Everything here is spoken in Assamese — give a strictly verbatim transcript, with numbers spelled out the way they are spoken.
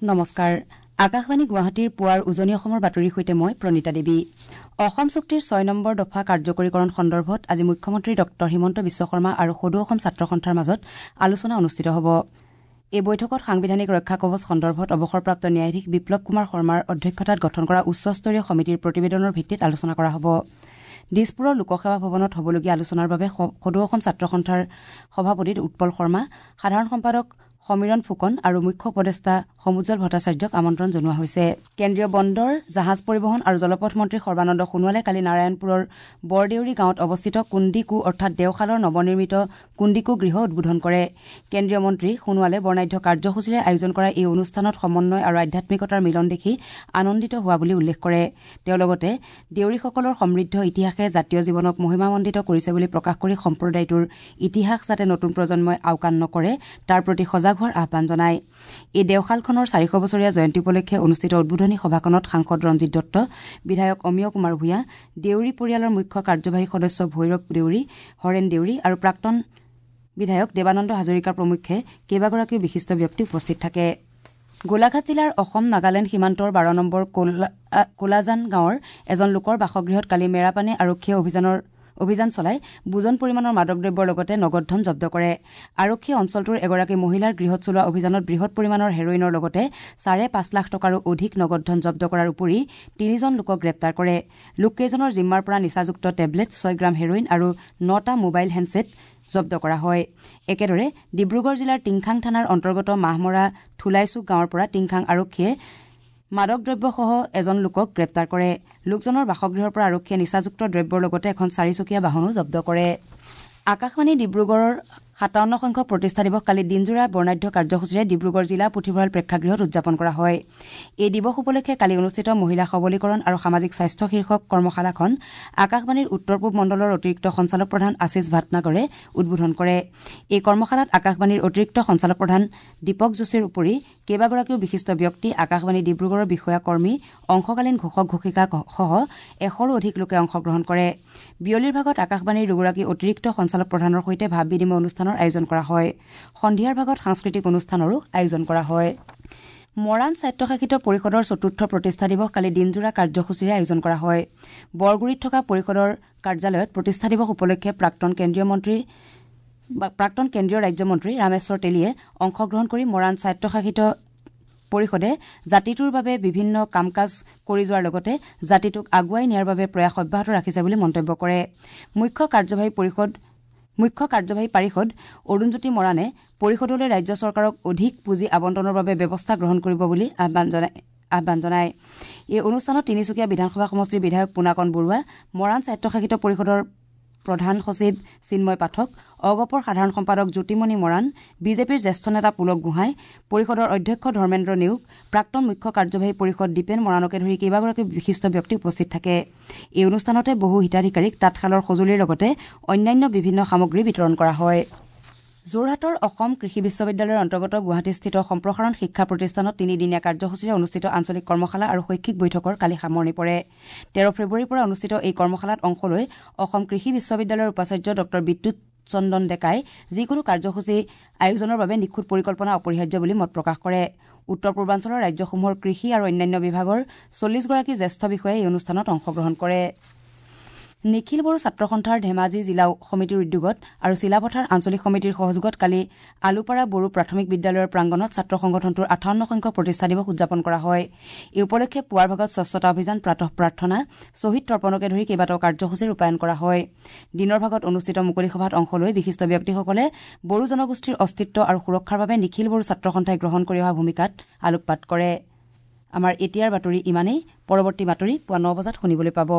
নমস্কাৰ, আকাশবাণী গুৱাহাটীৰ পুৱাৰ উজনি অসমৰ বাতৰিৰ সৈতে মই প্ৰণীতা দেৱী। অসম চুক্তিৰ ছয় নম্বৰ দফা কাৰ্যকৰীকৰণ সন্দৰ্ভত আজি মুখ্যমন্ত্ৰী ডঃ হিমন্ত বিশ্ব শৰ্মা আৰু সদৌ অসম ছাত্ৰ সন্থাৰ মাজত আলোচনা অনুষ্ঠিত হ'ব। এই বৈঠকত সাংবিধানিক ৰক্ষা কৱচ সন্দৰ্ভত অৱসৰপ্ৰাপ্ত ন্যায়াধীশ বিপ্লৱ কুমাৰ শৰ্মাৰ অধ্যক্ষতাত গঠন কৰা উচ্চস্তৰীয় সমিতিৰ প্ৰতিবেদনৰ ভিত্তিত আলোচনা কৰা হ'ব। দিছপুৰৰ লোকসেৱা ভৱনত হ'বলগীয়া আলোচনাৰ বাবে সদৌ অসম ছাত্ৰ সন্থাৰ সভাপতি উৎপল শৰ্মা, সাধাৰণ সম্পাদক সমীৰণ ফুকন আৰু মুখ্য উপদেষ্টা সমুজ্জ্বল ভট্টাচাৰ্যক আমন্ত্ৰণ জনোৱা হৈছে। কেন্দ্ৰীয় বন্দৰ, জাহাজ পৰিবহণ আৰু জলপথ মন্ত্ৰী সৰ্বানন্দ সোণোৱালে কালি নাৰায়ণপুৰৰ বৰদেউৰী গাঁৱত অৱস্থিত কুন্দিকু অৰ্থাৎ দেওশালৰ নৱনিৰ্মিত কুন্দিকু গৃহ উদ্বোধন কৰে। কেন্দ্ৰীয় মন্ত্ৰী সোণোৱালে বৰ্ণাঢ্য কাৰ্যসূচীৰে আয়োজন কৰা এই অনুষ্ঠানত সমন্বয় আৰু আধ্যাত্মিকতাৰ মিলন দেখি আনন্দিত হোৱা বুলি উল্লেখ কৰে। তেওঁ লগতে দেউৰীসকলৰ সমৃদ্ধ ইতিহাসে জাতীয় জীৱনক মহিমামণ্ডিত কৰিছে বুলি প্ৰকাশ কৰি সম্প্ৰদায়টোৰ ইতিহাস যাতে নতুন প্ৰজন্মই আওকাণ নকৰে তাৰ প্ৰতি সজাগ হোৱাৰ আহ্বান জনায়। এই দেওশালখনৰ চাৰিশ বছৰীয়া জয়ন্তী উপলক্ষে অনুষ্ঠিত উদ্বোধনী সভাখনত সাংসদ ৰঞ্জিত দত্ত, বিধায়ক অমিয় কুমাৰ ভূঞা, দেউৰী পৰিয়ালৰ মুখ্য কাৰ্যবাহী সদস্য ভৈৰৱ দেউৰী, হৰেণ দেউৰী আৰু প্ৰাক্তন বিধায়ক দেৱানন্দ হাজৰিকা প্ৰমুখ্যে কেইবাগৰাকীও বিশিষ্ট ব্যক্তি উপস্থিত থাকে। গোলাঘাট জিলাৰ অসম নাগালেণ্ড সীমান্তৰ বাৰ নম্বৰ কোলাজান গাঁৱৰ এজন লোকৰ বাসগৃহত কালি মেৰাপানী আৰক্ষীয়ে অভিযানৰ অভিযান চলাই বুজন পৰিমাণৰ মাদক দ্ৰব্যৰ লগতে নগদ ধন জব্দ কৰে। আৰক্ষীয়ে অঞ্চলটোৰ এগৰাকী মহিলাৰ গৃহত চলোৱা অভিযানত বৃহৎ পৰিমাণৰ হেৰইনৰ লগতে চাৰে পাঁচ লাখ টকাৰো অধিক নগদ ধন জব্দ কৰাৰ উপৰি তিনিজন লোকক গ্ৰেপ্তাৰ কৰে। লোককেইজনৰ জিম্মাৰ পৰা নিচাযুক্ত টেবলেট, ছয় গ্ৰাম হেৰইন আৰু নটা মোবাইল হেণ্ডছেট জব্দ কৰা হয়। একেদৰে ডিব্ৰুগড় জিলাৰ টিংখাং থানাৰ অন্তৰ্গত মাহমৰা থুলাইচুক গাঁৱৰ পৰা টিংখাং আৰক্ষীয়ে মাদক দ্ৰব্যসহ এজন লোকক গ্ৰেপ্তাৰ কৰে। লোকজনৰ বাসগৃহৰ পৰা আৰক্ষীয়ে নিচাযুক্ত দ্ৰব্যৰ লগতে এখন চাৰিচকীয়া বাহনো জব্দ কৰে। আকাশবাণী ডিব্ৰুগড়ৰ সাতাৱন্ন সংখ্যক প্ৰতিষ্ঠা দিৱস কালি দিনজোৰা বৰ্ণাঢ্য কাৰ্যসূচীৰে ডিব্ৰুগড় জিলা পুথিভঁৰাল প্ৰেক্ষাগৃহত উদযাপন কৰা হয়। এই দিৱস উপলক্ষে কালি অনুষ্ঠিত মহিলা সবলীকৰণ আৰু সামাজিক স্বাস্থ্য শীৰ্ষক কৰ্মশালাখন আকাশবাণীৰ উত্তৰ পূব মণ্ডলৰ অতিৰিক্ত সঞ্চালক প্ৰধান আশীষ ভাটনাগৰে উদ্বোধন কৰে। এই কৰ্মশালাত আকাশবাণীৰ অতিৰিক্ত সঞ্চালক প্ৰধান দীপক যোশীৰ উপৰি কেইবাগৰাকীও বিশিষ্ট ব্যক্তি, আকাশবাণী ডিব্ৰুগড়ৰ বিষয়া কৰ্মী, অংশকালীন ঘোষক ঘোষিকাসহ এশৰো অধিক লোকে অংশগ্ৰহণ কৰে। বিয়লিৰ ভাগত আকাশবাণীৰ দুগৰাকী অতিৰিক্ত সঞ্চালক প্ৰধানৰ সৈতে ভাৱ বিনিময় অনুষ্ঠানৰ আয়োজন কৰা হয়। সন্ধিয়াৰ ভাগত সাংস্কৃতিক অনুষ্ঠানৰো আয়োজন কৰা হয়। মৰাণ স্বায়ত্তশাসিত পৰিষদৰ চতুৰ্থ প্ৰতিষ্ঠা দিৱস কালি দিনজোৰা কাৰ্যসূচীৰে আয়োজন কৰা হয়। বৰগুৰিত থকা পৰিষদৰ কাৰ্যালয়ত প্ৰতিষ্ঠা দিৱস উপলক্ষে প্ৰাক্তন কেন্দ্ৰীয় মন্ত্ৰী প্ৰাক্তন কেন্দ্ৰীয় ৰাজ্যমন্ত্ৰী ৰামেশ্বৰ তেলীয়ে অংশগ্ৰহণ কৰি মৰাণ স্বায়ত্তশাসিত পৰিষদে জাতিটোৰ বাবে বিভিন্ন কাম কাজ কৰি যোৱাৰ লগতে জাতিটোক আগুৱাই নিয়াৰ বাবে প্ৰয়াস অব্যাহত ৰাখিছে বুলি মন্তব্য কৰে। মুখ্য কাৰ্যবাহী পৰিষদ মুখ্য কাৰ্যবাহী পাৰিষদ অৰুণজ্যোতি মৰাণে পৰিষদলৈ ৰাজ্য চৰকাৰক অধিক পুঁজি আবণ্টনৰ বাবে ব্যৱস্থা গ্ৰহণ কৰিব বুলি আহ্বান জনায় আহ্বান জনায়। এই অনুষ্ঠানত তিনিচুকীয়া বিধানসভা সমষ্টিৰ বিধায়ক পোনাকণ বৰুৱা, মৰাণ স্বায়ত্তশাসিত পৰিষদৰ প্ৰধান সচিব চিন্ময় পাঠক, অগপৰ সাধাৰণ সম্পাদক জ্যোতিমণি মৰাণ, বিজেপিৰ জ্যেষ্ঠ নেতা পুলক গোহাঁই, পৰিষদৰ অধ্যক্ষ ধৰ্মেন্দ্ৰ নেওগ, প্ৰাক্তন মুখ্য কাৰ্যবাহী পৰিষদ দীপেন মৰাণকে ধৰি কেইবাগৰাকী বিশিষ্ট ব্যক্তি উপস্থিত থাকে। এই অনুষ্ঠানতে বহু হিতাধিকাৰীক তাঁতশালৰ সঁজুলিৰ লগতে অন্যান্য বিভিন্ন সামগ্ৰী বিতৰণ কৰা হয়। যোৰহাটৰ অসম কৃষি বিশ্ববিদ্যালয়ৰ অন্তৰ্গত গুৱাহাটীস্থিত সম্প্ৰসাৰণ শিক্ষা প্ৰতিষ্ঠানত তিনিদিনীয়া কাৰ্যসূচীৰে অনুষ্ঠিত আঞ্চলিক কৰ্মশালা আৰু শৈক্ষিক বৈঠকৰ কালি সামৰণি পৰে। তেৰ ফেব্ৰুৱাৰীৰ পৰা অনুষ্ঠিত এই কৰ্মশালাত অংশ লৈ অসম কৃষি বিশ্ববিদ্যালয়ৰ উপাচাৰ্য ডঃ বিদ্যুৎ চন্দন ডেকাই যিকোনো কাৰ্যসূচী আয়োজনৰ বাবে নিখুঁত পৰিকল্পনা অপৰিহাৰ্য বুলি মত প্ৰকাশ কৰে। উত্তৰ পূৰ্বাঞ্চলৰ ৰাজ্যসমূহৰ কৃষি আৰু অন্যান্য বিভাগৰ চল্লিছগৰাকী জ্যেষ্ঠ বিষয়াই এই অনুষ্ঠানত অংশগ্ৰহণ কৰে। নিখিল বড়ো ছাত্ৰ সন্থাৰ ধেমাজি জিলা সমিতিৰ উদ্যোগত আৰু চিলাপথাৰ আঞ্চলিক সমিতিৰ সহযোগত কালি আলুপাৰা বড়ো প্ৰাথমিক বিদ্যালয়ৰ প্ৰাংগণত ছাত্ৰ সংগঠনটোৰ আঠাৱন্ন সংখ্যক প্ৰতিষ্ঠা দিৱস উদযাপন কৰা হয়। এই উপলক্ষে পুৱাৰ ভাগত স্বচ্ছতা অভিযান, প্ৰাতঃ প্ৰাৰ্থনা, শ্বহীদ তৰ্পণকে ধৰি কেইবাটাও কাৰ্যসূচী ৰূপায়ণ কৰা হয়। দিনৰ ভাগত অনুষ্ঠিত মুকলি সভাত অংশ লৈ বিশিষ্ট ব্যক্তিসকলে বড়ো জনগোষ্ঠীৰ অস্তিত্ব আৰু সুৰক্ষাৰ বাবে নিখিল বড়ো ছাত্ৰ সন্থাই গ্ৰহণ কৰি অহা ভূমিকাত আলোকপাত কৰে। আমাৰ এতিয়াৰ বাতৰি ইমানেই। পৰৱৰ্তী বাতৰি পুৱা ন বজাত শুনিবলৈ পাব।